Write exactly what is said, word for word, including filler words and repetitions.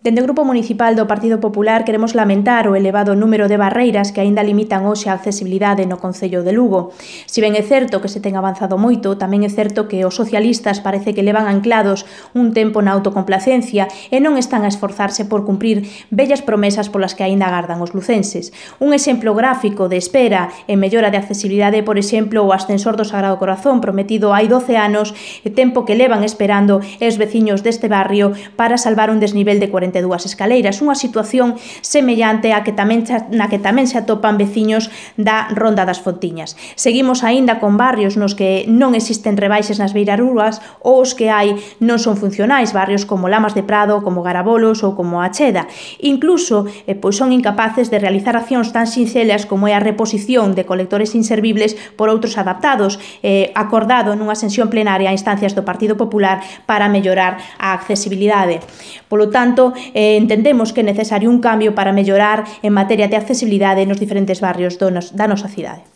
Dende o Grupo Municipal do Partido Popular queremos lamentar o elevado número de barreiras que aínda limitan hoxe a accesibilidade no Concello de Lugo. Si ben é certo que se ten avanzado moito, tamén é certo que os socialistas parece que levan anclados un tempo na autocomplacencia e non están a esforzarse por cumprir vellas promesas polas que aínda agardan os lucenses. Un exemplo gráfico de espera e mellora de accesibilidade, por exemplo, o ascensor do Sagrado Corazón prometido hai doce anos, e tempo que levan esperando os veciños deste barrio para salvar un desnivel de cuarenta e dúas escaleiras, unha situación semellante á que tamén na que tamén se atopan veciños da Ronda das Fontiñas. Seguimos aínda con barrios nos que non existen rebaixes nas beirarrúas ou os que hai non son funcionais, barrios como Lamas de Prado, como Garabolos ou como a Cheda. Incluso eh, pois son incapaces de realizar accións tan sinxelas como é a reposición de colectores inservibles por outros adaptados, eh, acordado nunha sesión plenaria a instancias do Partido Popular para mellorar a accesibilidade. Polo tanto, eh, entendemos que é necesario un cambio para mellorar en materia de accesibilidade nos diferentes barrios do nos, da nosa cidade.